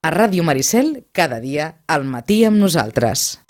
A Ràdio Maricel, cada dia al matí amb nosaltres.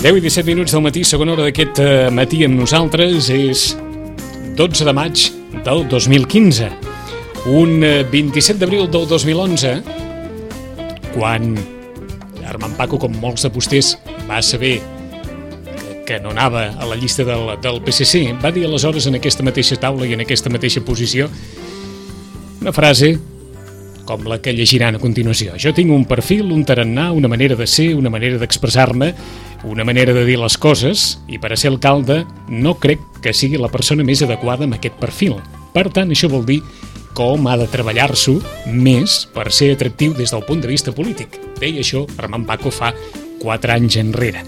Deu i 17 minuts del matí, segona hora d'aquest matí amb nosaltres, és 12 de maig del 2015. Un 27 d'abril del 2011, quan Armand Paco, com molts de vostès, va saber que no anava a la llista del PSC, va dir aleshores en aquesta mateixa taula i en aquesta mateixa posició una frase com la que llegiran a continuació. Jo tinc un perfil, un tarannà, una manera de ser, una manera d'expressar-me, una manera de dir les coses, i per a ser alcalde no crec que sigui la persona més adequada amb aquest perfil. Per tant, això vol dir com ha de treballar-s'ho més per ser atractiu des del punt de vista polític. Deia això Armand Paco fa 4 anys enrere.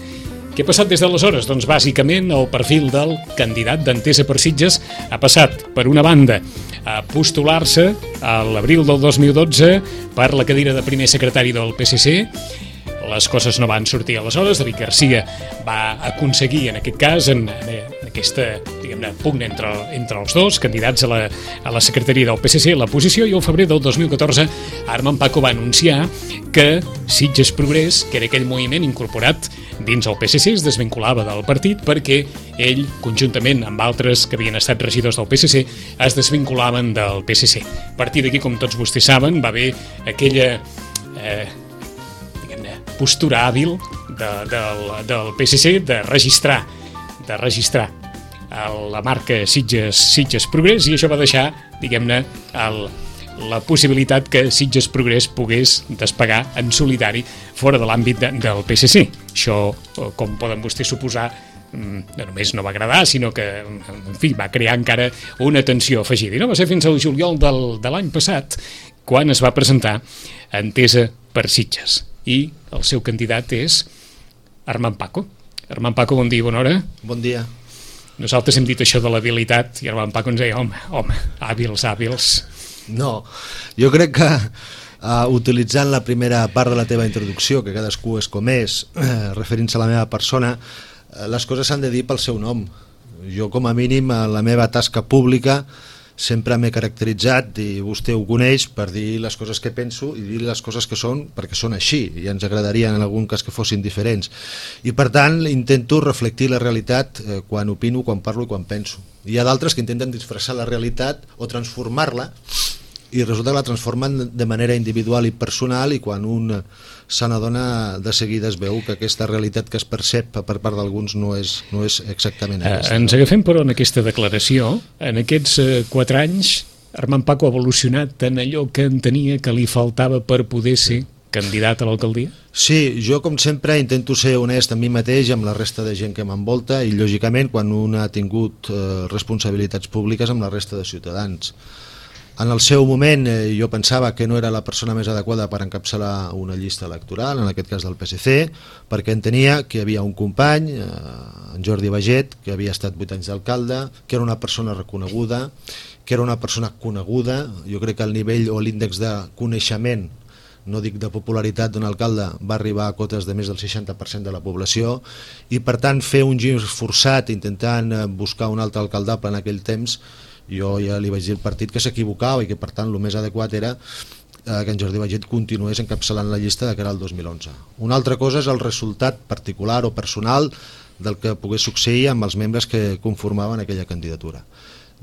Què ha passat des d'aleshores? Doncs bàsicament el perfil del candidat d'Entesa per Sitges ha passat, per una banda, a postular-se a l'abril del 2012 per la cadira de primer secretari del PSC. Les coses no van sortir aleshores. David Garcia va aconseguir, en aquest cas, en aquesta, diguem-ne, pugna entre els dos candidats a la secretaria del PSC, la posició, i el febrer del 2014 Armand Paco va anunciar que Sitges Progrés, que era aquell moviment incorporat dins el PSC, es desvinculava del partit perquè ell, conjuntament amb altres que havien estat regidors del PSC, es desvinculaven del PSC. A partir d'aquí, com tots vostès saben, va haver aquella postura hàbil del PSC de registrar la marca Sitges Progrés, i això va deixar, diguem-ne, la possibilitat que Sitges Progrés pogués despegar en solidari fora de l'àmbit del PSC. Això, com poden vostès suposar, no només no va agradar, sinó que, en fi, va crear encara una tensió afegida. I no va ser fins al juliol de l'any passat quan es va presentar Entesa per Sitges. I el seu candidat és Armand Paco. Armand Paco, bon dia, bona hora. Bon dia. Nosaltres hem dit això de l'habilitat i Armand Paco ens deia, home, hàbils. No, jo crec que utilitzant la primera part de la teva introducció, que cadascú és com és, referint-se a la meva persona, les coses s'han de dir pel seu nom. Jo, com a mínim, a la meva tasca pública sempre m'he caracteritzat, i vostè ho coneix, per dir les coses que penso i dir les coses que són perquè són així, i ens agradarien en algun cas que fossin diferents. I per tant intento reflectir la realitat quan opino, quan parlo i quan penso. Hi ha d'altres que intenten disfressar la realitat o transformar-la, i resulta que la transformen de manera individual i personal, i quan un se n'adona de seguida es veu que aquesta realitat que es percep per part d'alguns no és exactament aquesta. Ens agafem, però, en aquesta declaració. En aquests 4 anys Armand Paco ha evolucionat en allò que entenia que li faltava per poder ser candidat a l'alcaldia? Sí, jo com sempre intento ser honest amb mi mateix i amb la resta de gent que m'envolta, i lògicament quan un ha tingut responsabilitats públiques amb la resta de ciutadans. En el seu moment jo pensava que no era la persona més adequada per encapçalar una llista electoral, en aquest cas del PSC, perquè entenia que hi havia un company, en Jordi Baget, que havia estat 8 anys d'alcalde, que era una persona reconeguda, que era una persona coneguda. Jo crec que el nivell o l'índex de coneixement, no dic de popularitat, d'un alcalde va arribar a cotes de més del 60% de la població, i per tant fer un gir forçat intentant buscar un altre alcaldable en aquell temps, jo ja li vaig dir al partit que s'equivocava i que per tant el més adequat era que en Jordi Baget continués encapçalant la llista de cara al 2011. Una altra cosa és el resultat particular o personal del que pogués succeir amb els membres que conformaven aquella candidatura.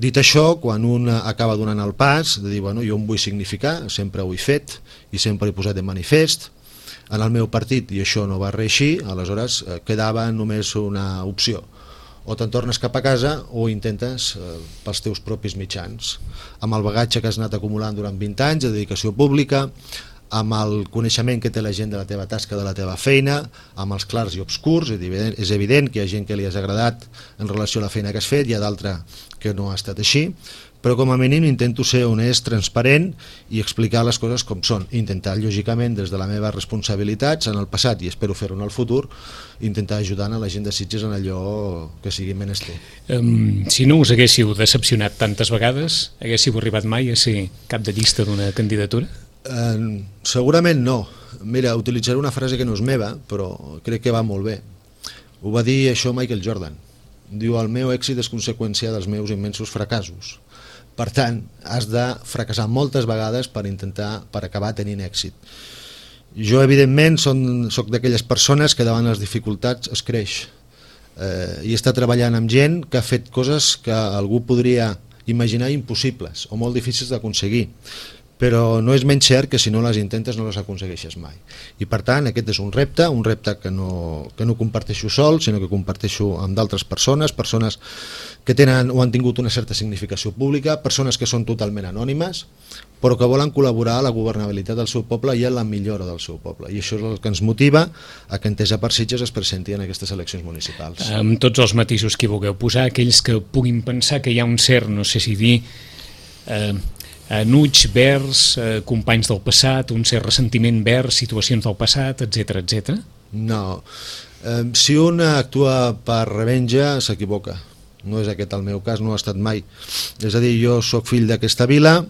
Dit això, quan un acaba donant el pas de dir, bueno, jo em vull significar, sempre ho he fet i sempre he posat de manifest, en el meu partit i això no va reeixir, aleshores quedava només una opció, o te'n tornes cap a casa o intentes pels teus propis mitjans, amb el bagatge que has anat acumulant durant 20 anys de dedicació pública, amb el coneixement que té la gent de la teva tasca, de la teva feina, amb els clars i obscurs. És evident que hi ha gent que li has agradat en relació a la feina que has fet, hi ha d'altra que no ha estat així, però com a mínim intento ser honest, transparent i explicar les coses com són, intentar lògicament des de la meva responsabilitats en el passat i espero fer-ho en el futur, intentar ajudar a la gent de Sitges en allò que sigui menester. Si no us haguéssiu decepcionat tantes vegades, haguéssiu arribat mai a ser cap de llista d'una candidatura? Segurament no. Mira, utilitzaré una frase que no és meva, però crec que va molt bé. Ho va dir això Michael Jordan. Diu: el meu èxit és conseqüència dels meus immensos fracassos. Per tant, has de fracassar moltes vegades per acabar tenint èxit. Jo, evidentment, soc d'aquelles persones que davant les dificultats es creix. I està treballant amb gent que ha fet coses que algú podria imaginar impossibles o molt difícils d'aconseguir, però no és menys cert que si no les intentes no les aconsegueixes mai. I per tant aquest és un repte que no comparteixo sol, sinó que comparteixo amb d'altres persones que tenen o han tingut una certa significació pública, persones que són totalment anònimes, però que volen col·laborar a la governabilitat del seu poble i a la millora del seu poble. I això és el que ens motiva a que Entesa per Sitges es presenti en aquestes eleccions municipals. Amb tots els matisos que hi vulgueu posar, aquells que puguin pensar que hi ha un cert, no sé si dir, enuig vers companys del passat, un cert ressentiment vers situacions del passat, etc etc. No. Si un actua per revenja, s'equivoca. No és aquest el meu cas, no ha estat mai. És a dir, jo sóc fill d'aquesta vila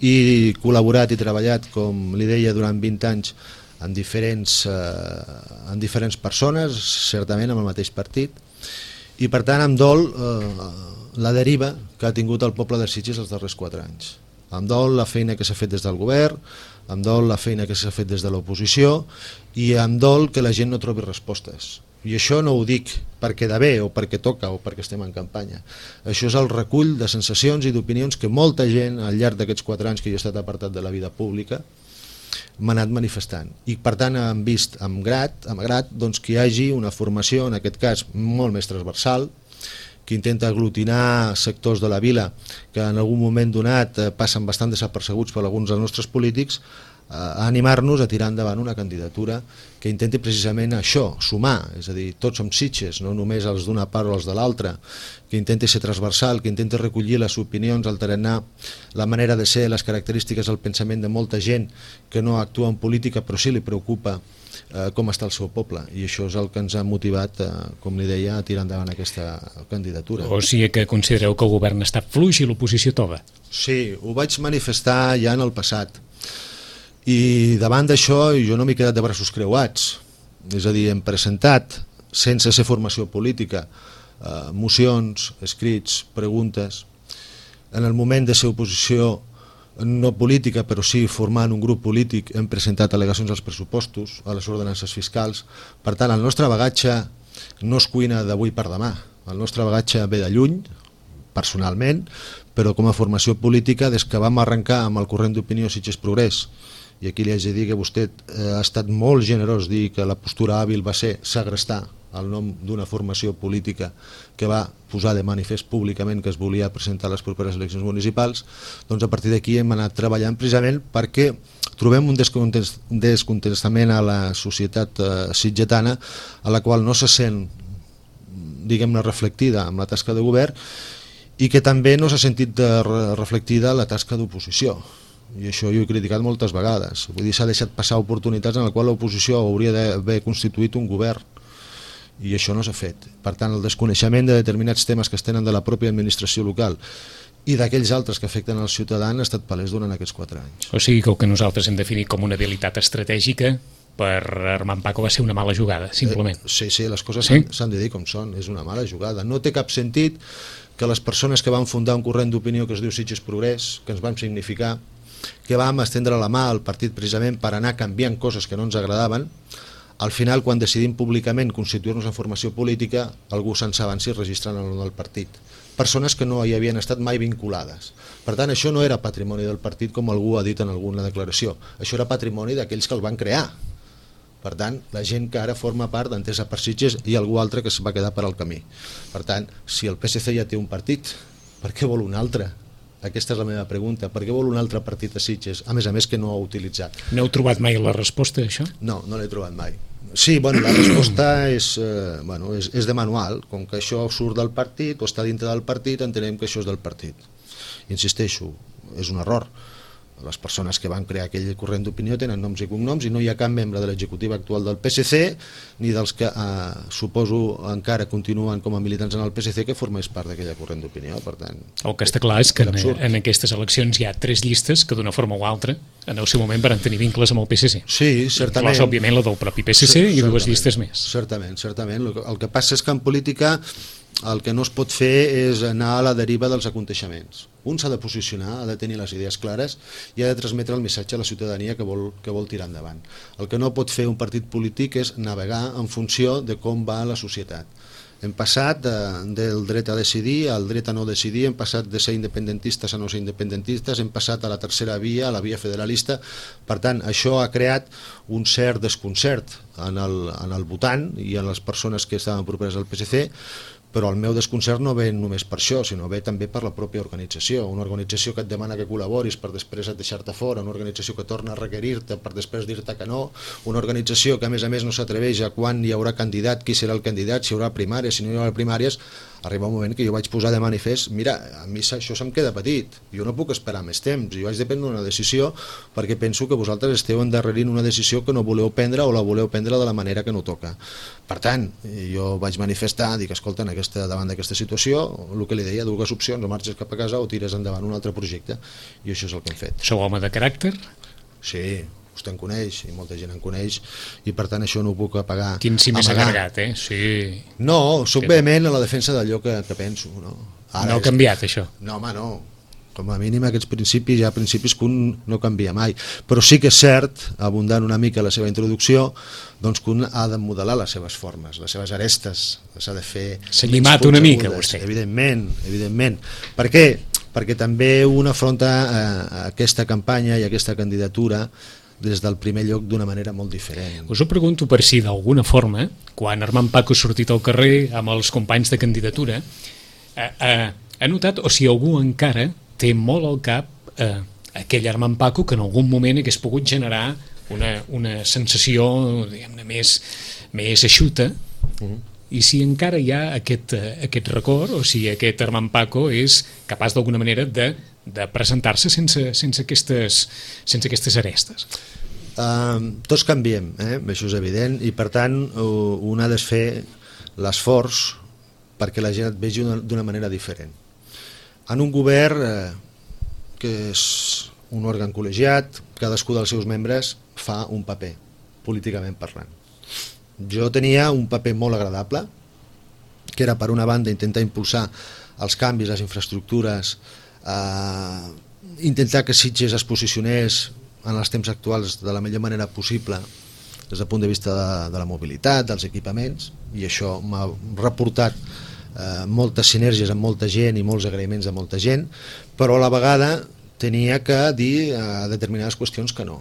i he col·laborat i treballat, com li deia, durant 20 anys en diferents persones, certament amb el mateix partit, i per tant em dol la deriva que ha tingut el poble de Sitges els darrers 4 anys. Em dol la feina que s'ha fet des del govern, em dol la feina que s'ha fet des de l'oposició i em dol que la gent no trobi respostes. I això no ho dic perquè queda bé o perquè toca o perquè estem en campanya. Això és el recull de sensacions i d'opinions que molta gent al llarg d'aquests 4 anys que jo he estat apartat de la vida pública m'ha anat manifestant. I per tant hem vist amb grat doncs, que hi hagi una formació, en aquest cas molt més transversal, que intenta aglutinar sectors de la vila que en algun moment donat passen bastant desapercebuts per alguns dels nostres polítics, a animar-nos a tirar endavant una candidatura que intenti precisament això, sumar, és a dir, tots som Sitges, no només els d'una part o els de l'altra, que intenti ser transversal, que intenti recollir les opinions, el tarannà, la manera de ser, les característiques del pensament de molta gent que no actua en política però sí li preocupa com està el seu poble, i això és el que ens ha motivat, com li deia, a tirar endavant aquesta candidatura. O sigui que considereu que el govern està fluix i l'oposició tova? Sí, ho vaig manifestar ja en el passat, i davant d'això jo no m'he quedat de braços creuats, és a dir, hem presentat, sense ser formació política, mocions, escrits, preguntes. En el moment de ser oposició no política, però sí formant un grup polític, hem presentat al·legacions als pressupostos, a les ordenances fiscals. Per tant, el nostre bagatge no es cuina d'avui per demà, el nostre bagatge ve de lluny, personalment, però com a formació política des que vam arrencar amb el corrent d'opinió Sitges Progrés, i aquí li haig de dir que vostè ha estat molt generós dir que la postura hàbil va ser segrestar el nom d'una formació política que va posar de manifest públicament que es volia presentar a les properes eleccions municipals. Doncs a partir d'aquí hem anat treballant precisament perquè trobem un descontentament a la societat sitgetana a la qual no se sent, diguem-ne, reflectida amb la tasca de govern i que també no s'ha sentit reflectida la tasca d'oposició. I això jo he criticat moltes vegades. Vull dir, s'ha deixat passar oportunitats en la qual l'oposició hauria d'haver constituït un govern i això no s'ha fet. Per tant, el desconeixement de determinats temes que es tenen de la pròpia administració local i d'aquells altres que afecten al ciutadà han estat palès durant aquests 4 anys. O sigui que el que nosaltres hem definit com una habilitat estratègica per Armand Paco va ser una mala jugada, simplement. Sí, les coses s'han de dir com són, és una mala jugada. No té cap sentit que les persones que van fundar un corrent d'opinió que es diu Sitges Progrés, que ens van significar, que vam estendre la mà al partit precisament per anar canviant coses que no ens agradaven, al final quan decidim públicament constituir-nos en formació política algú se'n s'avanci registrant el nom del partit, persones que no hi havien estat mai vinculades. Per tant, això no era patrimoni del partit com algú ha dit en alguna declaració, això era patrimoni d'aquells que el van crear. Per tant, la gent que ara forma part d'Entesa per Sitges i algú altre que es va quedar per al camí. Per tant, si el PSC ja té un partit, per què vol un altre? Aquesta és la meva pregunta. Per què vol un altre partit a Sitges? A més que no ha utilitzat. No heu trobat mai la resposta a això? No, no l'he trobat mai. Sí, bueno, la resposta és de manual. Com que això surt del partit o està dintre del partit, entenem que això és del partit. Insisteixo, és un error. Les persones que van crear aquell corrent d'opinió tenen noms i cognoms i no hi ha cap membre de l'executiva actual del PSC ni dels que suposo encara continuen com a militants en el PSC que formés part d'aquella corrent d'opinió. Per tant, el que està clar és que en aquestes eleccions hi ha 3 llistes que d'una forma o altra en el seu moment van tenir vincles amb el PSC. Sí, certament. Inclòs, òbviament, la del propi PSC i 2 llistes més. Certament. El que passa és que en política el que no es pot fer és anar a la deriva dels aconteixements. Un s'ha de posicionar, ha de tenir les idees clares i ha de transmetre el missatge a la ciutadania que vol tirar endavant. El que no pot fer un partit polític és navegar en funció de com va la societat. Hem passat del dret a decidir al dret a no decidir, hem passat de ser independentistes a no ser independentistes, hem passat a la tercera via, a la via federalista. Per tant, això ha creat un cert desconcert en el votant i en les persones que estaven properes al PSC, però el meu desconcert no ve només per això, sinó ve també per la pròpia organització. Una organització que et demana que col·laboris per després deixar-te fora, una organització que torna a requerir-te per després dir-te que no, una organització que a més no s'atreveix a quan hi haurà candidat, qui serà el candidat, si hi haurà primàries, si no hi haurà primàries. Arriba un moment que jo vaig posar de manifest, mira, a mi això se'm queda petit, jo no puc esperar més temps, jo vaig de prendre una decisió perquè penso que vosaltres esteu endarrerint una decisió que no voleu prendre o la voleu prendre de la manera que no toca. Per tant, jo vaig manifestar, dic, escolta, davant d'aquesta situació, el que li deia, 2 opcions, o marxes cap a casa o tires endavant un altre projecte, i això és el que hem fet. Sou home de caràcter? Sí, vostè en coneix i molta gent en coneix i per tant això no ho puc apagar. Quin sí més agregat, Sí. No, soc vehement a la defensa d'allò que penso. No ha canviat això? No, home, no. Com a mínim aquests principis, hi ha principis que un no canvia mai, però sí que és cert, abundant una mica la seva introducció, doncs que un ha de modelar les seves formes, les seves arestes, s'ha de fer... S'ha llimat una mica, vostè. Evidentment. Per què? Perquè també un afronta aquesta campanya i aquesta candidatura des del primer lloc d'una manera molt diferent. Us ho pregunto per si d'alguna forma, quan Armand Paco ha sortit al carrer amb els companys de candidatura, ha notat, o si algú encara té molt al cap aquell Armand Paco que en algun moment hagués pogut generar una sensació, diguem-ne, més eixuta, i si encara hi ha aquest record, o si aquest Armand Paco és capaç d'alguna manera de presentar-se sense aquestes arestes. Tots canviem, això és evident, i per tant un ha de fer l'esforç perquè la gent et vegi d'una manera diferent. En un govern que és un òrgan col·legiat, cadascú dels seus membres fa un paper, políticament parlant. Jo tenia un paper molt agradable, que era per una banda intentar impulsar els canvis, les infraestructures, intentar que Sitges es posicionés en els temps actuals de la millor manera possible des del punt de vista de la mobilitat, dels equipaments, i això m'ha reportat moltes sinergies amb molta gent i molts agraïments a molta gent, però a la vegada tenia que dir a determinades qüestions que no.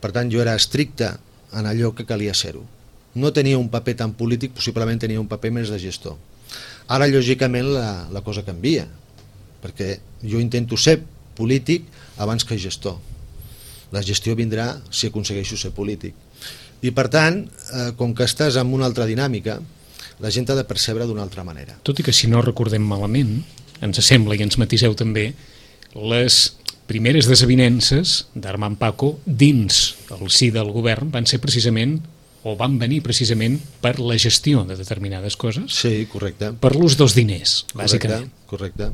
Per tant, jo era estricte en allò que calia ser-ho. No tenia un paper tan polític, possiblement tenia un paper més de gestor. Ara, lògicament, la cosa canvia, perquè jo intento ser polític abans que gestor. La gestió vindrà si aconsegueixo ser polític. I per tant, com que estàs en una altra dinàmica, la gent ha de percebre d'una altra manera. Tot i que, si no recordem malament, ens sembla, i ens matiseu també, les primeres desavinences d'Armand Paco dins el si del govern van ser precisament, o van venir precisament per la gestió de determinades coses. Sí, correcte. Per l'ús dels diners, bàsicament. Correcte.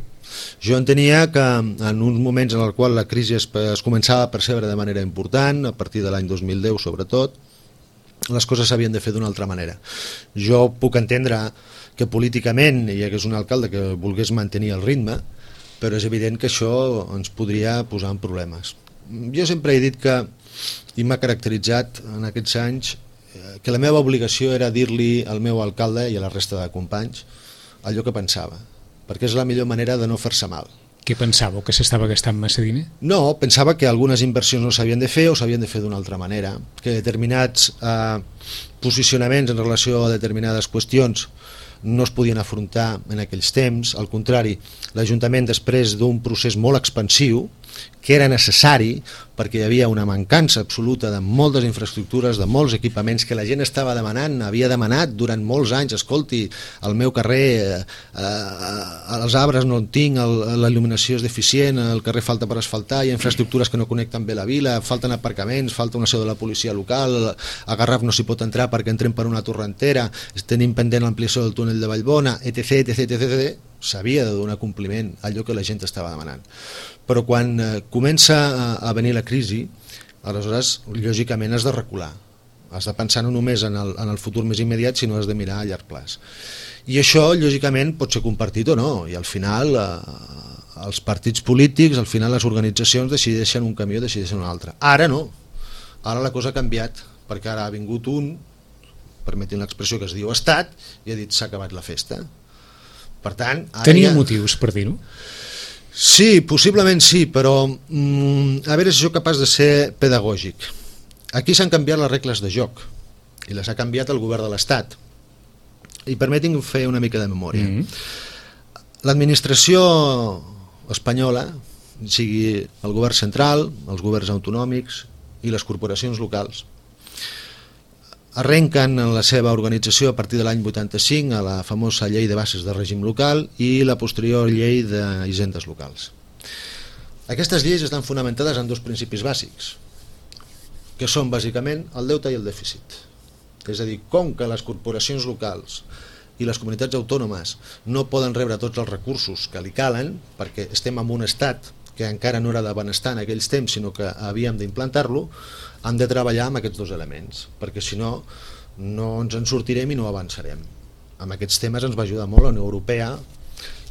Jo entenia que en uns moments en el qual la crisi es començava a percebre de manera important, a partir de l'any 2010 sobretot, les coses s'havien de fer d'una altra manera. Jo puc entendre que políticament hi hagués un alcalde que volgués mantenir el ritme, però és evident que això ens podria posar en problemes. Jo sempre he dit que, i m'ha caracteritzat en aquests anys, que la meva obligació era dir-li al meu alcalde i a la resta de companys allò que pensava, perquè és la millor manera de no fer-se mal. Què pensàveu, que s'estava gastant massa diner? No, pensava que algunes inversions no s'havien de fer o s'havien de fer d'una altra manera, que determinats posicionaments en relació a determinades qüestions no es podien afrontar en aquells temps. Al contrari, l'Ajuntament, després d'un procés molt expansiu, que era necessari perquè hi havia una mancança absoluta de moltes infraestructures, de molts equipaments que la gent estava demanant, havia demanat durant molts anys. Escolti, al meu carrer els arbres no en tinc, la il·luminació és deficient, el carrer falta per asfaltar, hi ha infraestructures que no connecten bé la vila, falten aparcaments, falta una seu de la policia local, a Garraf no s'hi pot entrar perquè entrem per una torrentera, tenim pendent l'ampliació del túnel de Vallbona, etc, etc, etc. S'havia de donar compliment a allò que la gent estava demanant. Però quan comença a venir la crisi, aleshores, lògicament, has de recular. Has de pensar no només en el futur més immediat, sinó has de mirar a llarg plaç. I això, lògicament, pot ser compartit o no, i al final els partits polítics, al final les organitzacions decideixen un camí o decideixen un altre. Ara no, ara la cosa ha canviat, perquè ara ha vingut un, permetin l'expressió, que es diu Estat, i ha dit s'ha acabat la festa. Per tant, tenia motius per dir-ho? Sí, possiblement sí, però a veure si sóc capaç de ser pedagògic. Aquí s'han canviat les regles de joc i les ha canviat el govern de l'Estat. I permetin fer una mica de memòria. L'administració espanyola, sigui el govern central, els governs autonòmics i les corporacions locals, arrenquen en la seva organització a partir de l'any 85 a la famosa llei de bases de règim local i la posterior llei d'hisendes locals. Aquestes lleis estan fonamentades en dos principis bàsics, que són bàsicament el deute i el dèficit. És a dir, com que les corporacions locals i les comunitats autònomes no poden rebre tots els recursos que li calen, perquè estem en un estat que encara no era de benestar en aquells temps, sinó que havíem d'implantar-lo, han de treballar amb aquests dos elements, perquè si no, no ens en sortirem i no avançarem. Amb aquests temes ens va ajudar molt la Unió Europea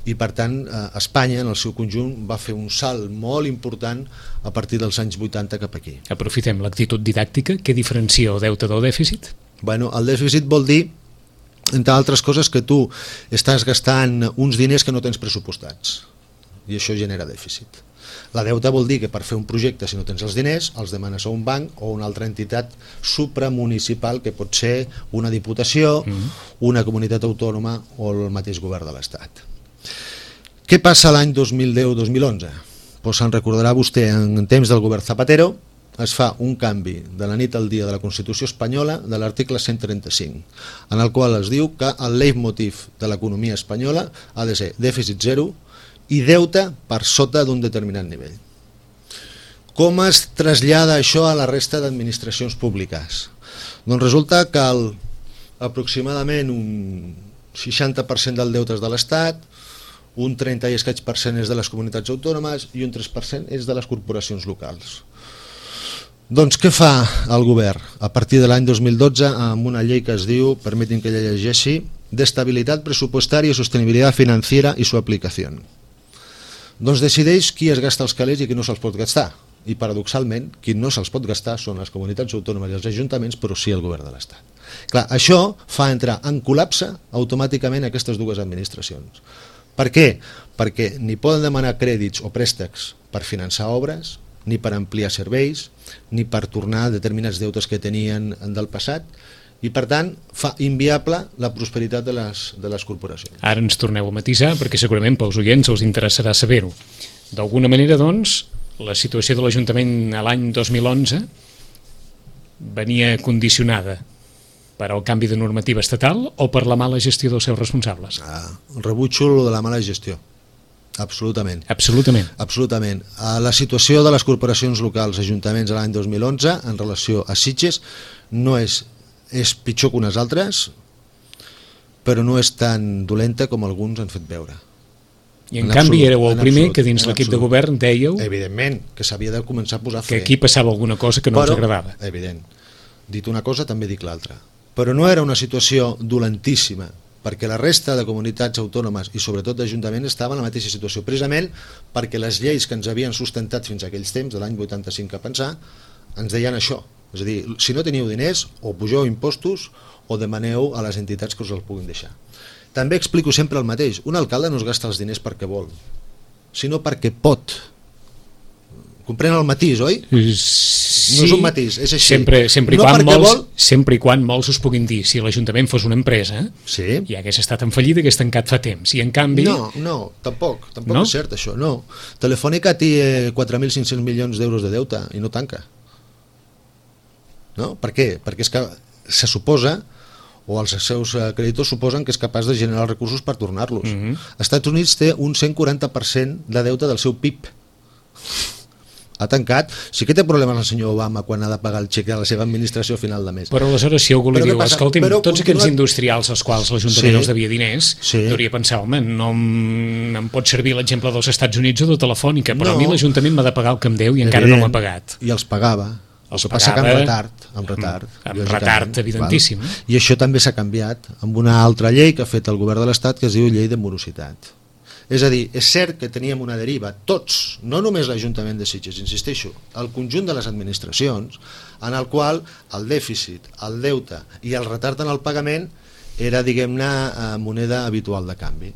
i per tant Espanya en el seu conjunt va fer un salt molt important a partir dels anys 80 cap aquí. Aprofitem l'actitud didàctica. Què diferencia el deute del dèficit? Bueno, el dèficit vol dir, entre altres coses, que tu estàs gastant uns diners que no tens pressupostats i això genera dèficit. La deuta vol dir que per fer un projecte, si no tens els diners, els demanes a un banc o una altra entitat supramunicipal, que pot ser una diputació, una comunitat autònoma o el mateix govern de l'Estat. Què passa l'any 2010-2011? Pues se'n recordarà vostè, en temps del govern Zapatero es fa un canvi de la nit al dia de la Constitució espanyola de l'article 135, en el qual es diu que el leitmotiv de l'economia espanyola ha de ser dèficit zero i deute per sota d'un determinat nivell. Com es trasllada això a la resta d'administracions públiques? Doncs resulta que aproximadament un 60% del deute és de l'Estat, un 30 i escaig % és de les comunitats autònomes i un 3% és de les corporacions locals. Doncs què fa el govern? A partir de l'any 2012, amb una llei que es diu, permetin que la llegeixi, d'estabilitat pressupostària i sostenibilitat financiera i su aplicació. Doncs decideix qui es gasta els calés i qui no se'ls pot gastar. I paradoxalment, qui no se'ls pot gastar són les comunitats autònomes i els ajuntaments, però sí el govern de l'Estat. Clar, això fa entrar en col·lapse automàticament aquestes dues administracions. Per què? Perquè ni poden demanar crèdits o préstecs per finançar obres, ni per ampliar serveis, ni per tornar determinats deutes que tenien del passat, i per tant fa inviable la prosperitat de les corporacions. Ara ens torneu a matisar, perquè segurament pels oients els interessarà saber-ho. D'alguna manera, doncs, la situació de l'Ajuntament a l'any 2011 venia condicionada per al canvi de normativa estatal o per la mala gestió dels seus responsables? Rebutjo lo de la mala gestió. Absolutament. Absolutament. Absolutament. La situació de les corporacions locals, ajuntaments a l'any 2011 en relació a Sitges no és pitjor que unes altres, però no és tan dolenta com alguns han fet veure. I en canvi éreu el primer que dins l'equip de govern dèieu... Evidentment, que s'havia de començar a posar fre. Que aquí passava alguna cosa que no us agradava. Evident. Dit una cosa, també dic l'altra. Però no era una situació dolentíssima, perquè la resta de comunitats autònomes i sobretot d'ajuntaments estaven en la mateixa situació, precisament perquè les lleis que ens havien sustentat fins a aquells temps, de l'any 85 a pensar, ens deien això. És a dir, si no teniu diners, o pugeu impostos o demaneu a les entitats que us els puguin deixar. També explico sempre el mateix. Un alcalde no es gasta els diners perquè vol. sinó perquè pot. Comprèn el matís, oi? Sí, no és un matís, és així. Sempre i quan molts us puguin dir, si l'Ajuntament fos una empresa, sí, ja hagués estat en fallida, hagués tancat fa temps, i en canvi... No, tampoc és cert això, no. Telefònica té 4.500 milions d'euros de deute i no tanca. No? Per què? Perquè és que se suposa, o els seus creditors suposen que és capaç de generar recursos per tornar-los. Els Estats Units té un 140% de deute del seu PIB. Ha tancat. Sí que té problemes el senyor Obama quan ha de pagar el xec de la seva administració a final de mes. Però aleshores, si algú li diu, escolti'm, tots aquests industrials als quals l'Ajuntament els devia diners, hauria de pensar, home, no em pot servir l'exemple dels Estats Units o de Telefònica, però a mi l'Ajuntament m'ha de pagar el que em deu i encara no m'ha pagat. I els pagava. El que passa que amb retard, evidentíssim. I això també s'ha canviat amb una altra llei que ha fet el govern de l'Estat, que es diu Llei de Morositat. És a dir, és cert que teníem una deriva, tots, no només l'Ajuntament de Sitges, insisteixo, el conjunt de les administracions, en el qual el dèficit, el deute i el retard en el pagament era, diguem-ne, moneda habitual de canvi.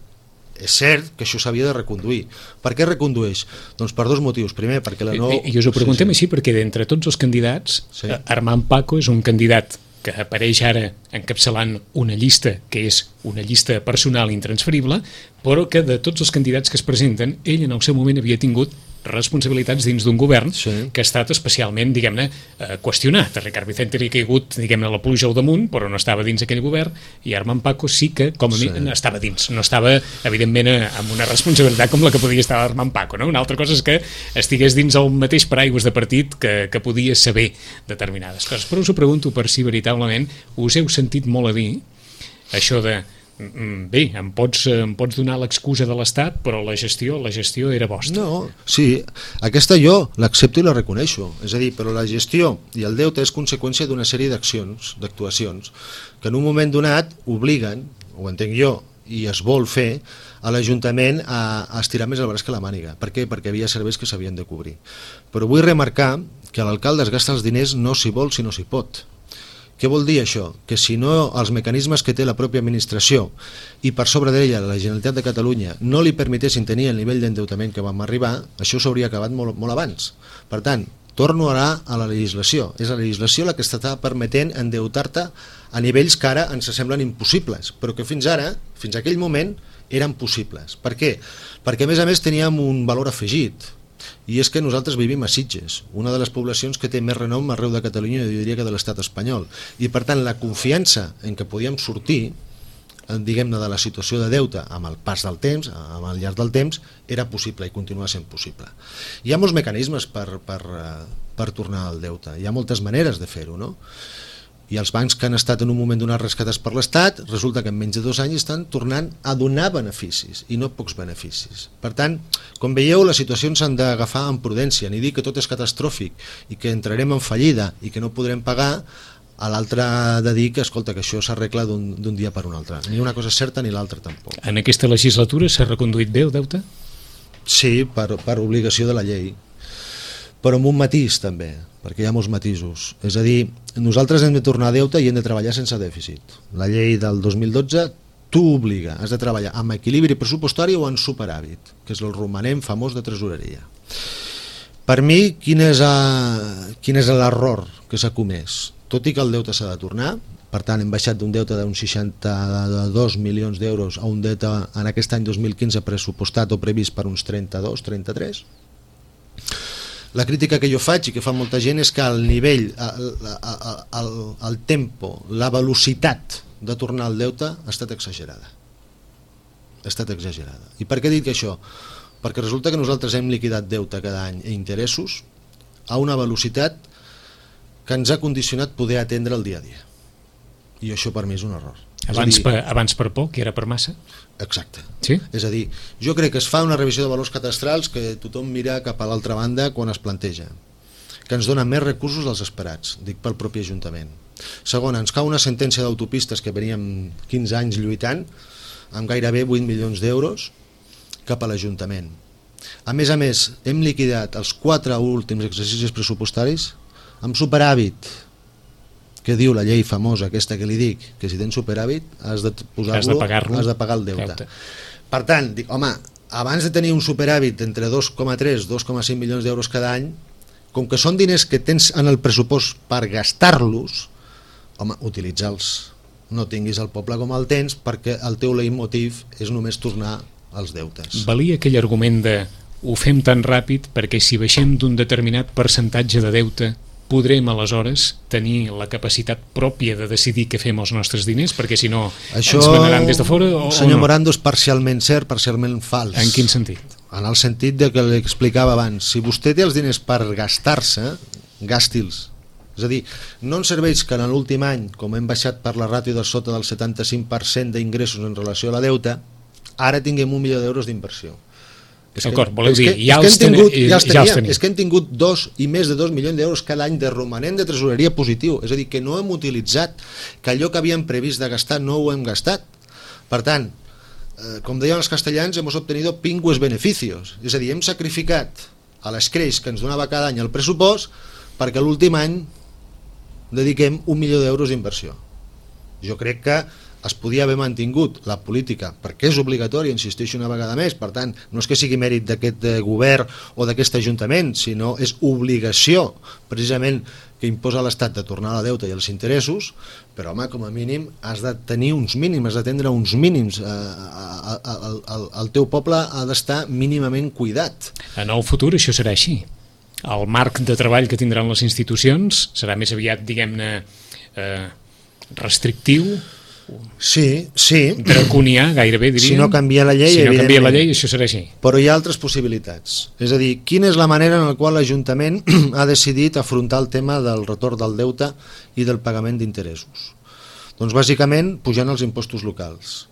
És cert que això s'havia de reconduir. Per què recondueix? Doncs per dos motius. Primer, perquè la no... I us ho preguntem així perquè d'entre tots els candidats, Armand Paco és un candidat que apareix ara encapçalant una llista que és una llista personal intransferible, però que de tots els candidats que es presenten, ell en el seu moment havia tingut responsabilitats dins d'un govern que ha estat especialment, diguem-ne, qüestionat. A Ricard Vicente li ha caigut, diguem-ne, la pluja al damunt, però no estava dins aquell govern, i Armand Paco sí que, com a mi, estava dins. No estava, evidentment, amb una responsabilitat com la que podia estar Armand Paco, no? Una altra cosa és que estigués dins el mateix paraigües de partit que podia saber determinades coses. Però us ho pregunto per si veritablement us heu sentit molt a dir això de bé, em pots donar l'excusa de l'Estat, però la gestió era vostra. No, sí, aquesta jo l'accepto i la reconeixo, és a dir, però la gestió i el deute és conseqüència d'una sèrie d'actuacions que en un moment donat obliguen, ho entenc jo, i es vol fer a l'Ajuntament a estirar més el braç que la màniga. Per què? Perquè havia serveis que s'havien de cobrir. Però vull remarcar que l'alcalde es gasta els diners no s'hi vol sinó s'hi pot. Què vol dir això? Que si no els mecanismes que té la pròpia administració i per sobre d'ella la Generalitat de Catalunya no li permetessin tenir el nivell d'endeutament que vam arribar, això s'hauria acabat molt abans. Per tant, torno ara a la legislació. És la legislació la que està permetent endeutar-te a nivells que ara ens semblen impossibles, però que fins ara, fins a aquell moment, eren possibles. Per què? Perquè a més teníem un valor afegit, i és que nosaltres vivim a Sitges, una de les poblacions que té més renom arreu de Catalunya, jo diria que de l'estat espanyol, i per tant la confiança en què podíem sortir, diguem-ne, de la situació de deute amb el pas del temps, amb el llarg del temps, era possible i continua sent possible. Hi ha molts mecanismes per tornar al deute, hi ha moltes maneres de fer-ho, no? I els bancs que han estat en un moment donat rescatats per l'Estat, resulta que en menys de 2 anys estan tornant a donar beneficis, i no pocs beneficis. Per tant, com veieu, les situacions s'han d'agafar amb prudència, ni dir que tot és catastròfic i que entrarem en fallida i que no podrem pagar, a l'altre de dir que, escolta, que això s'arregla d'un dia per un altre. Ni una cosa és certa ni l'altra tampoc. En aquesta legislatura s'ha reconduït bé el deute? Sí, per obligació de la llei, però amb un matís també, perquè hi ha molts matisos. És a dir, nosaltres hem de tornar a deute i hem de treballar sense dèficit. La llei del 2012 t'ho obliga, has de treballar amb equilibri pressupostari o en superàvit, que és el romanent famós de tresoreria. Per mi, quin és l'error que s'ha comès? Tot i que el deute s'ha de tornar, per tant hem baixat d'un deute d'uns 62 milions d'euros a un deute en aquest any 2015 pressupostat o previst per uns 32, 33. La crítica que jo faig i que fa molta gent és que el nivell, el tempo, la velocitat de tornar al deute ha estat exagerada. Ha estat exagerada. I per què dic això? Perquè resulta que nosaltres hem liquidat deute cada any i interessos a una velocitat que ens ha condicionat poder atendre el dia a dia. I això per mi és un error. Abans per poc i ara per massa? Exacte. Sí? És a dir, jo crec que es fa una revisió de valors cadastrals que tothom mira cap a l'altra banda quan es planteja, que ens dona més recursos dels esperats, dic pel propi Ajuntament. Segon, ens cau una sentència d'autopistes que veníem 15 anys lluitant, amb gairebé 8 milions d'euros cap a l'Ajuntament. A més, hem liquidat els 4 últims exercicis pressupostaris amb superàvit, que diu la llei famosa aquesta que li dic, que si tens superàvit has de posar-lo, has de pagar el deute. Per tant, dic, home, abans de tenir un superàvit entre 2,3 i 2,5 milions d'euros cada any, com que són diners que tens en el pressupost per gastar-los, home, utilitza'ls. No tinguis el poble com el tens, perquè el teu leitmotiv és només tornar als deutes. Valia aquell argument de ho fem tan ràpid perquè si baixem d'un determinat percentatge de deute podrem aleshores tenir la capacitat pròpia de decidir què fem amb els nostres diners, perquè si no això, ens manaran des de fora o senyor no? Morando, és parcialment cert, parcialment fals. En quin sentit? En el sentit de que l'explicava abans, si vostè té els diners per gastar-se, gàsti'ls. És a dir, no ens serveix que en l'últim any, com hem baixat per la ràtio de sota del 75% d'ingressos en relació a la deuta, ara tinguem 1 milió d'euros d'inversió. D'acord, voleu dir, ja els tenim. És que hem tingut 2 i més de 2 milions d'euros cada any de romanent de tresoreria positiu, és a dir, que no hem utilitzat, que allò que havíem previst de gastar no ho hem gastat. Per tant, com deien els castellans, hemos obtenido pingües beneficios, és a dir, hem sacrificat a l'escreix que ens donava cada any el pressupost perquè l'últim any dediquem 1 milió d'euros d'inversió. Jo crec que es podia haver mantingut la política, perquè és obligatòria, insisteixo una vegada més, per tant, no és que sigui mèrit d'aquest govern o d'aquest ajuntament, sinó és obligació, precisament, que imposa l'Estat de tornar a la deuta i els interessos, però, home, com a mínim, has de tenir uns mínims, has d'atendre uns mínims. El teu poble ha d'estar mínimament cuidat. En el futur això serà així. El marc de treball que tindran les institucions serà més aviat, diguem-ne, restrictiu, sí, draconià, gairebé diríem. Si no canvia la llei, si no canvia la llei, això serà així. Però hi ha altres possibilitats. És a dir, quina és la manera en la qual l'Ajuntament ha decidit afrontar el tema del retorn del deute i del pagament d'interessos? Doncs bàsicament pujant els impostos locals.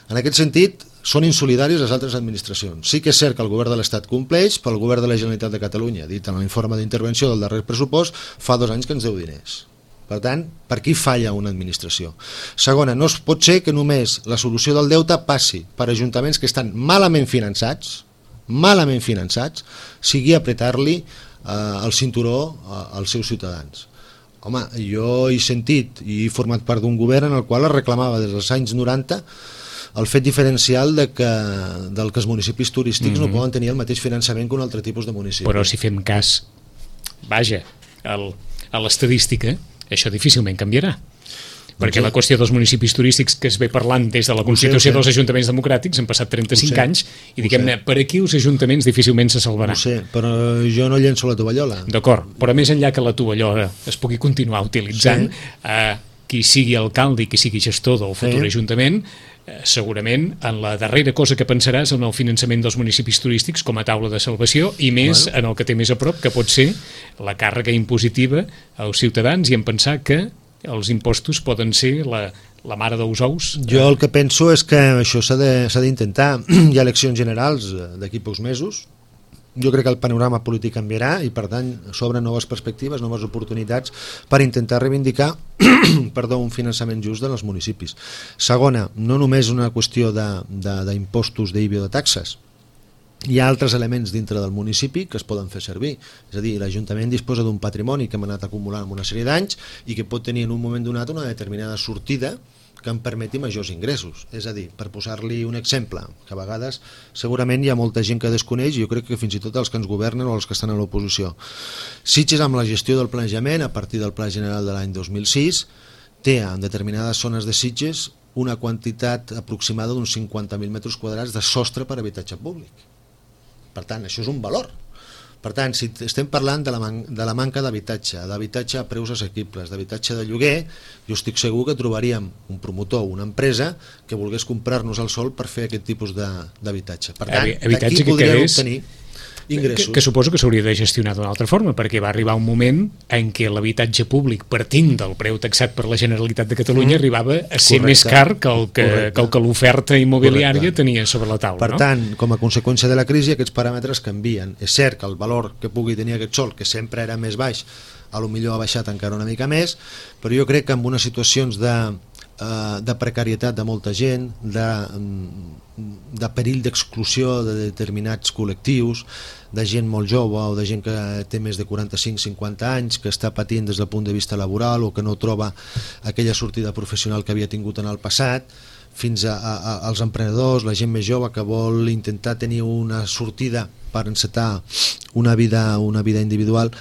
En aquest sentit, són insolidaris les altres administracions. Sí que és cert que el govern de l'Estat compleix, però el govern de la Generalitat de Catalunya, dit en l'informe d'intervenció del darrer pressupost, fa 2 anys que ens deu diners. Per tant, per qui falla una administració? Segona, no es pot ser que només la solució del deute passi per ajuntaments que estan malament finançats, sigui apretar-li el cinturó als seus ciutadans. Home, jo he sentit i he format part d'un govern en el qual es reclamava des dels anys 90 el fet diferencial del que els municipis turístics no poden tenir el mateix finançament que un altre tipus de municipi. Però si fem cas, vaja, a l'estadística, això difícilment canviarà. Perquè la qüestió dels municipis turístics que es ve parlant des de la Constitució dels ajuntaments democràtics han passat 35 anys i diguem-ne, per aquí els ajuntaments difícilment se salvaran. Ho sé, però jo no llenço la tovallola. D'acord, però més enllà que la tovallola es pugui continuar utilitzant, qui sigui alcalde i qui sigui gestor del futur ajuntament, segurament en la darrera cosa que pensaràs en el finançament dels municipis turístics com a taula de salvació i més en el que té més a prop, que pot ser la càrrega impositiva als ciutadans i en pensar que els impostos poden ser la mare dels ous. Jo el que penso és que això s'ha d'intentar. Hi ha eleccions generals d'aquí pocs mesos. Jo crec que el panorama polític canviarà i per tant s'obren noves perspectives, noves oportunitats per intentar reivindicar un finançament just dels municipis. Segona, no només una qüestió d'impostos, d'IBI o de taxes. Hi ha altres elements dintre del municipi que es poden fer servir. És a dir, l'Ajuntament disposa d'un patrimoni que hem anat acumulant en una sèrie d'anys i que pot tenir en un moment donat una determinada sortida que em permeti majors ingressos. És a dir, per posar-li un exemple, que a vegades segurament hi ha molta gent que desconeix, i jo crec que fins i tot els que ens governen o els que estan a l'oposició. Sitges, amb la gestió del planejament, a partir del Pla General de l'any 2006, té en determinades zones de Sitges una quantitat aproximada d'uns 50.000 metres quadrats de sostre per habitatge públic. Per tant, això és un valor. Per tant, si estem parlant de la manca d'habitatge a preus assequibles, d'habitatge de lloguer, jo estic segur que trobaríem un promotor o una empresa que volgués comprar-nos el sòl per fer aquest tipus d'habitatge. Per tant, d'aquí podríem obtenir ingressos. Que suposo que s'hauria de gestionar d'una altra forma, perquè va arribar un moment en què l'habitatge públic, partint del preu taxat per la Generalitat de Catalunya, arribava a ser més car que el que l'oferta immobiliària tenia sobre la taula. Per tant, com a conseqüència de la crisi, aquests paràmetres canvien. És cert que el valor que pugui tenir aquest sòl, que sempre era més baix, a lo millor ha baixat encara una mica més, però jo crec que en unes situacions de precarietat de molta gent, de perill d'exclusió de determinats col·lectius, de gent molt jove o de gent que té més de 45-50 anys, que està patint des del punt de vista laboral o que no troba aquella sortida professional que havia tingut en el passat, fins als emprenedors, la gent més jove que vol intentar tenir una sortida per encetar una vida individual,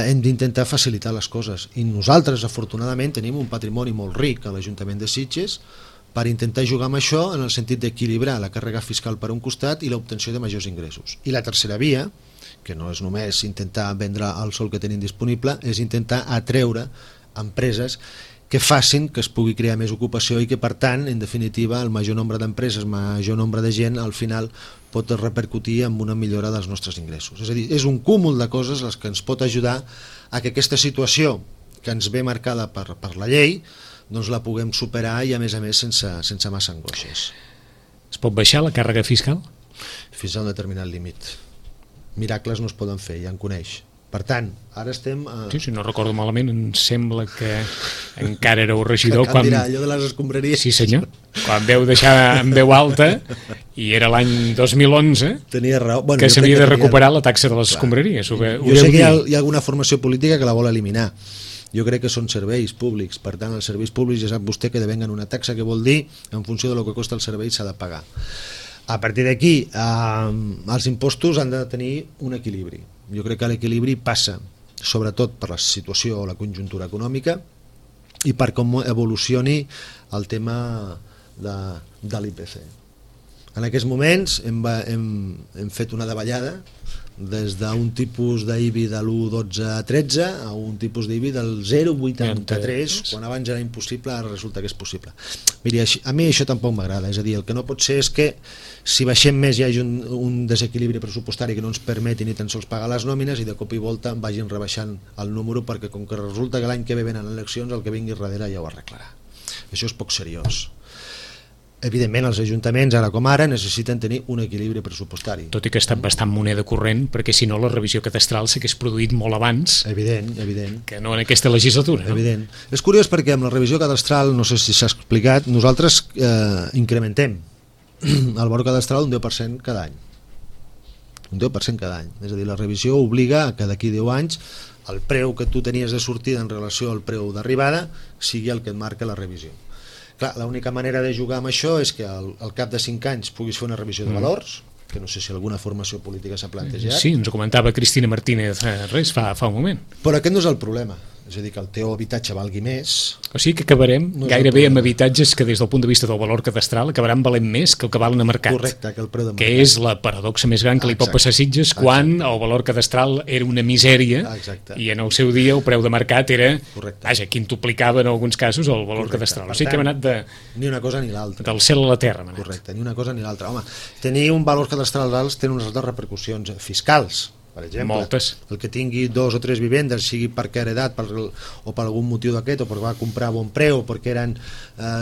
hem d'intentar facilitar les coses. I nosaltres, afortunadament, tenim un patrimoni molt ric a l'Ajuntament de Sitges per intentar jugar amb això en el sentit d'equilibrar la càrrega fiscal per un costat i l'obtenció de majors ingressos. I la tercera via, que no és només intentar vendre el sòl que tenim disponible, és intentar atreure empreses que facin que es pugui crear més ocupació i que, per tant, en definitiva, el major nombre d'empreses, major nombre de gent, al final pot repercutir en una millora dels nostres ingressos. És a dir, és un cúmul de coses les que ens pot ajudar a que aquesta situació que ens ve marcada per la llei doncs la puguem superar i, a més, sense massa angoixes. Es pot baixar la càrrega fiscal? Fins a un determinat límit. Miracles no es poden fer, ja en coneix. Per tant, ara estem... Sí, si no recordo malament, em sembla que encara éreu regidor quan... dirà, allò de les escombraries. Sí, senyor. Quan veu deixar en veu alta, i era l'any 2011, tenia raó. Bueno, que s'havia de recuperar la taxa de les escombraries. Jo sé que hi ha alguna formació política que la vol eliminar. Jo crec que són serveis públics. Per tant, els serveis públics ja sap vostè que devenguen una taxa, que vol dir, en funció de lo que costa el servei, s'ha de pagar. A partir d'aquí, els impostos han de tenir un equilibri. Jo crec que l'equilibri passa sobretot per la situació o la conjuntura econòmica i per com evolucioni el tema de l'IPC. En aquests moments hem fet una davallada des d'un tipus d'IBI de l'1,12 a 13 a un tipus d'IBI del 0,83, quan abans era impossible, ara resulta que és possible. Miri, a mi això tampoc m'agrada, és a dir, el que no pot ser és que si baixem més hi hagi un desequilibri pressupostari que no ens permeti ni tan sols pagar les nòmines i de cop i volta vagin rebaixant el número, perquè com que resulta que l'any que ve venen eleccions, el que vingui darrere ja ho arreglarà. Això és poc seriós. Evidentment, els ajuntaments, ara com ara, necessiten tenir un equilibri pressupostari. Tot i que ha estat bastant moneda corrent, perquè si no la revisió cadastral s'hagués produït molt abans. Evident. Que no en aquesta legislatura. Evident. No? És curiós perquè amb la revisió cadastral, no sé si s'ha explicat, nosaltres incrementem el valor cadastral un 10% cada any. Un 10% cada any. És a dir, la revisió obliga a que d'aquí 10 anys el preu que tu tenies de sortida en relació al preu d'arribada sigui el que et marca la revisió. Clar, l'única manera de jugar amb això és que al cap de 5 anys puguis fer una revisió de valors, que no sé si alguna formació política s'ha plantejat. Sí, ens ho comentava Cristina Martínez fa un moment. Però aquest no és el problema. És a dir, que el teu habitatge valgui més. O sigui que acabarem gairebé amb habitatges que des del punt de vista del valor cadastral acabaran valent més que el que valen a mercat. Correcte, que el preu de mercat. Que és la paradoxa més gran que li pot passar a Sitges quan el valor cadastral era una misèria i en el seu dia el preu de mercat era, vaja, quintuplicava en alguns casos el valor cadastral. O sigui que hem anat ni una cosa ni l'altra. Del cel a la terra. Correcte, ni una cosa ni l'altra. Home, tenir un valor cadastral alt té unes altres repercussions fiscals. Per exemple, moltes. El que tingui 2 o 3 vivendes, sigui perquè ha heredat o per algun motiu d'aquest, o perquè va comprar a bon preu o perquè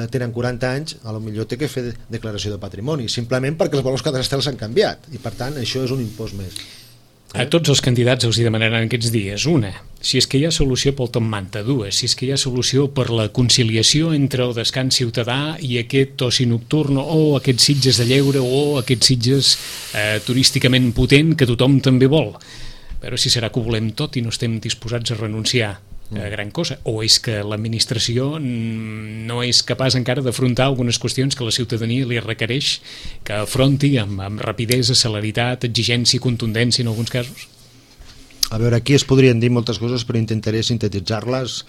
tenen 40 anys, a lo millor té que fer declaració de patrimoni, simplement perquè els valors cadastrals s'han canviat i per tant això és un impost més. A tots els candidats els hi demanaran aquests dies: una, si és que hi ha solució pel top manta; dues, si és que hi ha solució per la conciliació entre el descans ciutadà i aquest oci nocturn o aquests Sitges de lleure o aquests Sitges turísticament potent que tothom també vol. Però si serà que ho volem tot i no estem disposats a renunciar a gran cosa, o és que l'administració no és capaç encara d'afrontar algunes qüestions que la ciutadania li requereix que afronti amb rapidesa, celeritat, exigència i contundència en alguns casos? A veure, aquí es podrien dir moltes coses, però intentaré sintetitzar-les.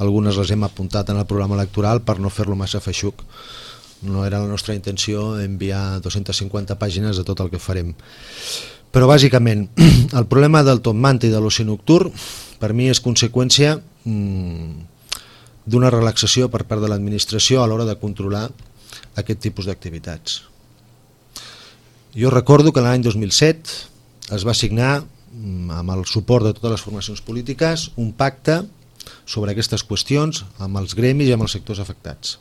Algunes les hem apuntat en el programa electoral per no fer-lo massa feixuc. No era la nostra intenció enviar 250 pàgines de tot el que farem. Però bàsicament, el problema del top manta i de l'oci nocturn per mi és conseqüència d'una relaxació per part de l'administració a l'hora de controlar aquest tipus d'activitats. Jo recordo que l'any 2007 es va signar, amb el suport de totes les formacions polítiques, un pacte sobre aquestes qüestions amb els gremis i amb els sectors afectats,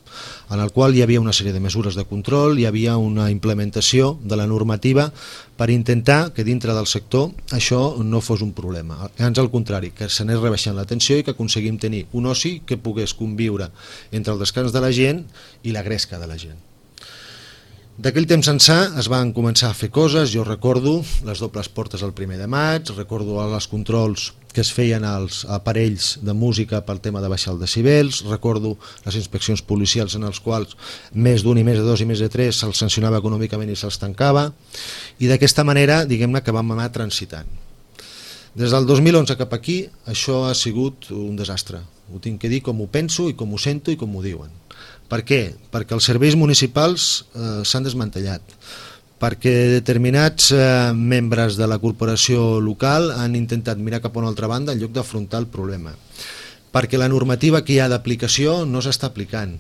en el qual hi havia una sèrie de mesures de control, hi havia una implementació de la normativa per intentar que dintre del sector això no fos un problema, ans al contrari, que s'anés rebaixant la tensió i que aconseguim tenir un oci que pogués conviure entre el descans de la gent i la gresca de la gent. D'aquell temps ençà es van començar a fer coses, jo recordo les dobles portes el 1 de maig, recordo els controls que es feien als aparells de música pel tema de baixar els decibels, recordo les inspeccions policials en els quals més d'un i més de dos i més de tres se'ls sancionava econòmicament i se'ls tancava, i d'aquesta manera, diguem-ne, que vam anar transitant. Des del 2011 cap aquí això ha sigut un desastre, ho tinc que dir com ho penso i com ho sento i com ho diuen. Per què? Perquè els serveis municipals s'han desmantellat, perquè determinats membres de la corporació local han intentat mirar cap a una altra banda en lloc d'afrontar el problema, perquè la normativa que hi ha d'aplicació no s'està aplicant.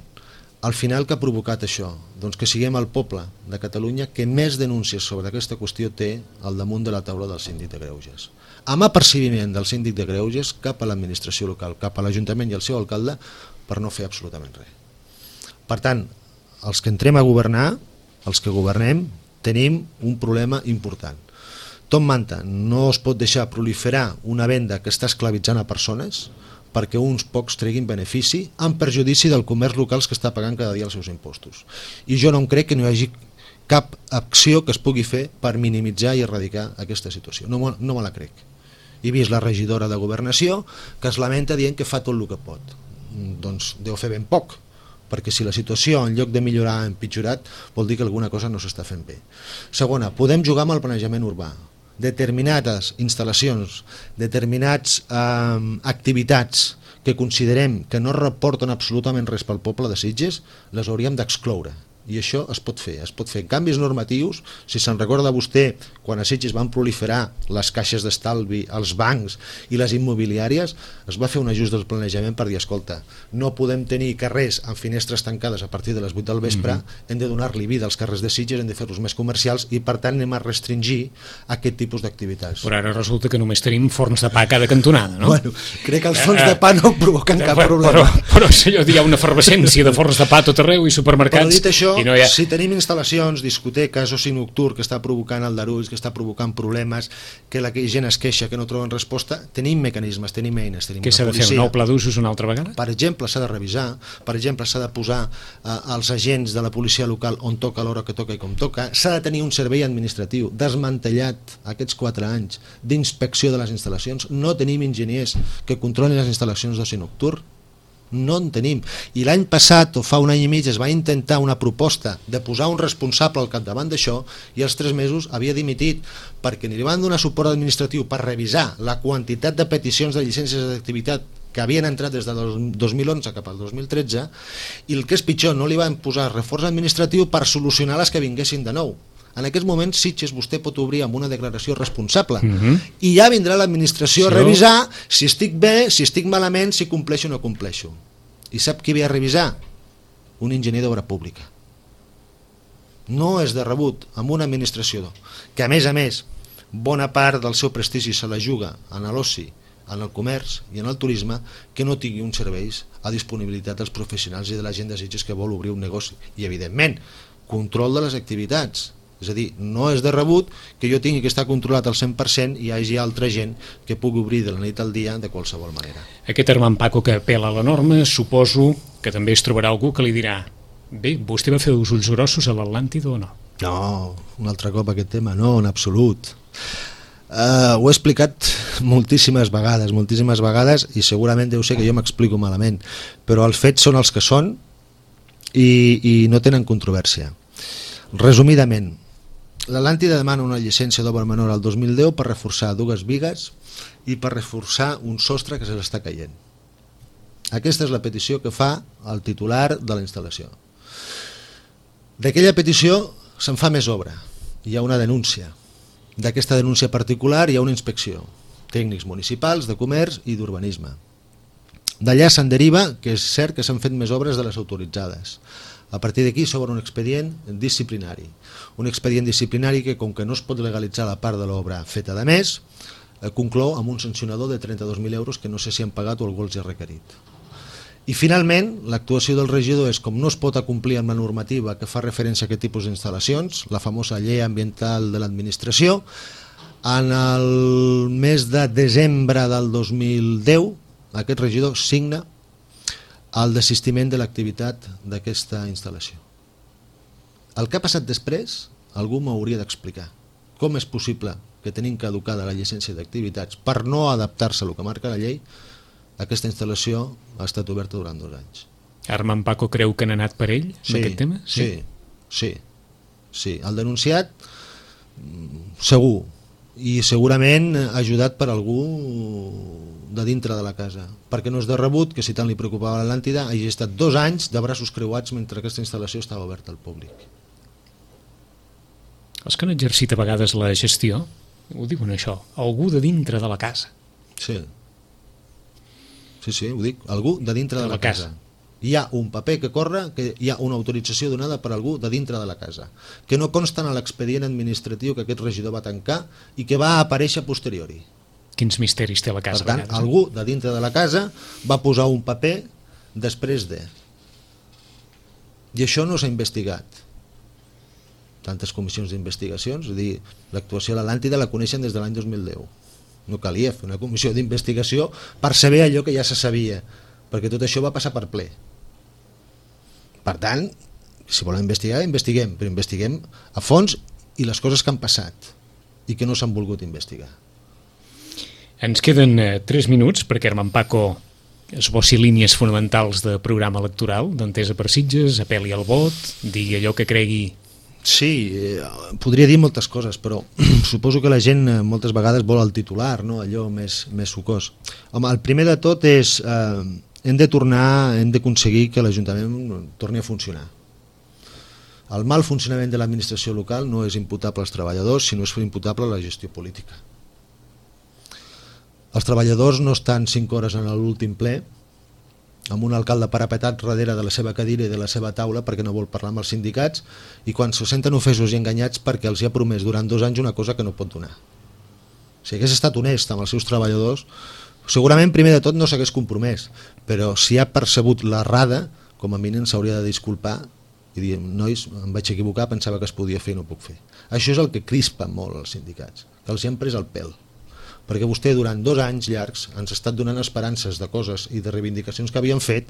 Al final, què ha provocat això? Doncs que siguem el poble de Catalunya que més denúncies sobre aquesta qüestió té al damunt de la taula del síndic de greuges. Amb apercibiment del síndic de greuges cap a l'administració local, cap a l'Ajuntament i el seu alcalde, per no fer absolutament res. Per tant, els que entrem a governar, els que governem, tenim un problema important. Tom Manta, no es pot deixar proliferar una venda que està esclavitzant a persones perquè uns pocs treguin benefici en perjudici del comerç local que està pagant cada dia els seus impostos. I jo no em crec que no hi hagi cap acció que es pugui fer per minimitzar i erradicar aquesta situació. No me la crec. He vist la regidora de Governació que es lamenta dient que fa tot el que pot. Doncs deu fer ben poc, perquè si la situació en lloc de millorar ha empitjorat vol dir que alguna cosa no s'està fent bé. Segona, podem jugar amb el planejament urbà. Determinades instal·lacions, determinats activitats que considerem que no reporten absolutament res pel poble de Sitges, les hauríem d'excloure. I això es pot fer canvis normatius. Si se'n recorda vostè, quan a Sitges van proliferar les caixes d'estalvi, els bancs i les immobiliàries, es va fer un ajust del planejament per dir, escolta, no podem tenir carrers amb finestres tancades a partir de les 8 del vespre, hem de donar-li vida als carrers de Sitges, hem de fer-los més comercials i per tant anem a restringir aquest tipus d'activitats. Però ara resulta que només tenim forns de pa a cada cantonada, no? Bueno, crec que els forns de pa no provoquen cap problema. Però senyor, hi ha una efervescència de forns de pa a tot arreu i supermercats. Però dit això, no ha... si tenim instal·lacions, discoteques, oci nocturn que està provocant aldarulls, que està provocant problemes, que la gent es queixa, que no troben resposta, tenim mecanismes, tenim eines, tenim Què s'ha de fer, un nou pla d'usos una altra vegada? Per exemple, s'ha de revisar, per exemple, s'ha de posar els agents de la policia local on toca, a l'hora que toca i com toca, s'ha de tenir un servei administratiu desmantellat aquests 4 anys d'inspecció de les instal·lacions, no tenim enginyers que controlin les instal·lacions d'oci nocturn, no en tenim, i l'any passat o fa un any i mig es va intentar una proposta de posar un responsable al capdavant d'això i als 3 mesos havia dimitit perquè ni li van donar suport administratiu per revisar la quantitat de peticions de llicències d'activitat que havien entrat des del 2011 cap al 2013 i el que és pitjor, no li van posar reforç administratiu per solucionar les que vinguessin de nou. En aquests moments Sitges vostè pot obrir amb una declaració responsable i ja vindrà l'administració a revisar si estic bé, si estic malament, si compleixo o no compleixo. I sap qui ve a revisar? Un enginyer d'obra pública. No és de rebut amb una administració que a més bona part del seu prestigi se la juga en l'oci, en el comerç i en el turisme, que no tingui uns serveis a disponibilitat dels professionals i de la gent de Sitges que vol obrir un negoci. I evidentment, control de les activitats. És a dir, no és de rebut que jo tingui que estar controlat al 100% i hi hagi altra gent que pugui obrir de la nit al dia de qualsevol manera. Aquest hermant Paco que apela a la norma, suposo que també es trobarà algú que li dirà: bé, vostè va fer els ulls grossos a l'Atlàntida o no? No, un altre cop aquest tema, no, en absolut. Ho he explicat moltíssimes vegades i segurament deu ser que jo m'explico malament, però els fets són els que són i no tenen controvèrsia. Resumidament, l'Atlàntida demana una llicència d'obra menor al 2010 per reforçar 2 bigues i per reforçar un sostre que se l'està caient. Aquesta és la petició que fa el titular de la instal·lació. D'aquella petició se'n fa més obra, hi ha una denúncia. D'aquesta denúncia particular hi ha una inspecció, tècnics municipals, de comerç i d'urbanisme. D'allà se'n deriva que és cert que s'han fet més obres de les autoritzades. A partir d'aquí s'obre un expedient disciplinari. Un expedient disciplinari que, com que no es pot legalitzar la part de l'obra feta de més, conclou amb un sancionador de 32.000 euros que no sé si han pagat o algú els ha requerit. I finalment, l'actuació del regidor és, com no es pot acomplir amb la normativa que fa referència a aquest tipus d'instal·lacions, la famosa llei ambiental de l'administració, en el mes de desembre del 2010, aquest regidor signa el desistiment de l'activitat d'aquesta instal·lació. El que ha passat després, algú m'hauria d'explicar. Com és possible que tenim caducada la llicència d'activitats per no adaptar-se a el que marca la llei, aquesta instal·lació ha estat oberta durant 2 anys. Armand Paco creu que han anat per ell, amb aquest tema? Sí. El denunciat, segur, i segurament ajudat per algú de dintre de la casa, perquè no és de rebut que si tant li preocupava l'Atlàntida hagi estat 2 anys de braços creuats mentre aquesta instal·lació estava oberta al públic. Els que han exercit a vegades la gestió ho diuen això, algú de dintre de la casa. Sí, ho dic, algú de dintre de la casa. Hi ha un paper que corre, que hi ha una autorització donada per algú de dintre de la casa, que no consta en l'expedient administratiu que aquest regidor va tancar i que va aparèixer a posteriori. Quins misteris té la casa? Per tant, algú de dintre de la casa va posar un paper després de. I això no s'ha investigat. Tantes comissions d'investigacions, és a dir, l'actuació de l'Atlàntida la coneixen des de l'any 2010. No calia fer una comissió d'investigació per saber allò que ja se sabia, perquè tot això va passar per ple. Per tant, si volem investigar, investiguem, però investiguem a fons i les coses que han passat i que no s'han volgut investigar. Ens queden 3 minuts perquè Armand Paco esbossi línies fonamentals de programa electoral, d'Entesa per Sitges, apel·li al vot, digui allò que cregui. Sí, podria dir moltes coses, però suposo que la gent moltes vegades vol el titular, no? Allò més sucós. Home, el primer de tot és hem d'aconseguir que l'Ajuntament torni a funcionar. El mal funcionament de l'administració local no és imputable als treballadors, sinó és imputable a la gestió política. Els treballadors no estan 5 hores en l'últim ple amb un alcalde parapetat darrere de la seva cadira i de la seva taula perquè no vol parlar amb els sindicats i quan se senten ofesos i enganyats perquè els hi ha promès durant 2 anys una cosa que no pot donar. Si hagués estat honest amb els seus treballadors, segurament primer de tot no s'hagués compromès, però si ha percebut l'errada, com a mínim s'hauria de disculpar i dir, nois, em vaig equivocar, pensava que es podia fer i no puc fer. Això és el que crispa molt els sindicats, que els hi han pres el pèl. Perquè vostè durant 2 anys llargs ens ha estat donant esperances de coses i de reivindicacions que havien fet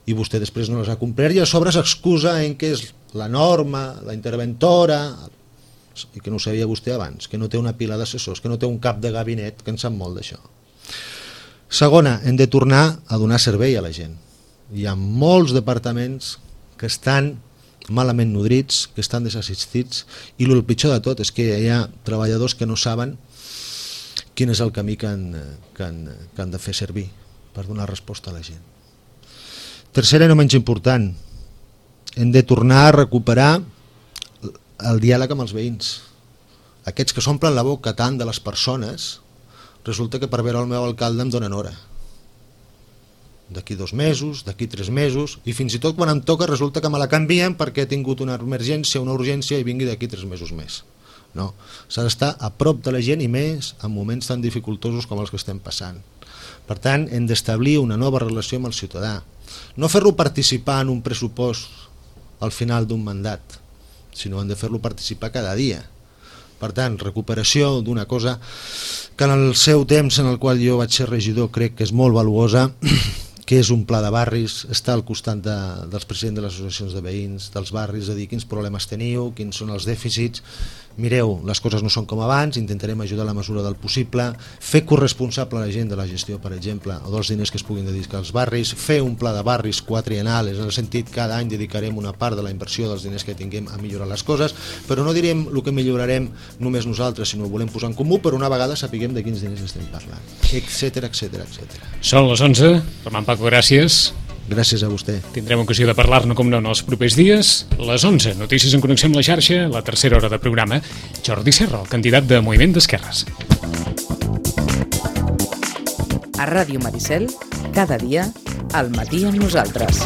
i vostè després no les ha complert i a sobre s'excusa en què és la norma, la interventora, i que no ho sabia vostè abans, que no té una pila d'assessors, que no té un cap de gabinet, que en sap molt d'això. Segona, hem de tornar a donar servei a la gent. Hi ha molts departaments que estan malament nodrits, que estan desassistits i el pitjor de tot és que hi ha treballadors que no saben quin és el camí que han de fer servir per donar resposta a la gent. Tercera i no menys important, hem de tornar a recuperar el diàleg amb els veïns. Aquests que s'omplen la boca tant de les persones, resulta que per veure el meu alcalde em donen hora. D'aquí 2 mesos, d'aquí 3 mesos, i fins i tot quan em toca resulta que me la canvien perquè he tingut una emergència, una urgència i vingui d'aquí 3 mesos més. No, s'ha d'estar a prop de la gent i més en moments tan dificultosos com els que estem passant. Per tant, hem d'establir una nova relació amb el ciutadà. No fer-lo participar en un pressupost al final d'un mandat, sinó hem de fer-lo participar cada dia. Per tant, recuperació d'una cosa que en el seu temps en el qual jo vaig ser regidor crec que és molt valuosa, que és un pla de barris, estar al costat dels presidents de les associacions de veïns, dels barris, a dir quins problemes teniu, quins són els dèficits. Mireu, les coses no són com abans, intentarem ajudar a la mesura del possible, fer corresponsable a la gent de la gestió, per exemple, o dels diners que es puguin dedicar als barris, fer un pla de barris quadriennal, en el sentit que cada any dedicarem una part de la inversió dels diners que tinguem a millorar les coses, però no direm el que millorarem només nosaltres, sinó ho volem posar en comú, però una vegada sapiguem de quins diners estem parlant, etcètera, etcètera, etcètera. Són les 11, Armand Paco, gràcies. Gràcies a vostè. Tindrem ocasió de parlar-ne, com no, en els propers dies. Les 11, notícies en connexió amb la xarxa, la tercera hora de programa. Jordi Serra, el candidat de Moviment d'Esquerres. A Ràdio Maricel, cada dia, al matí amb nosaltres.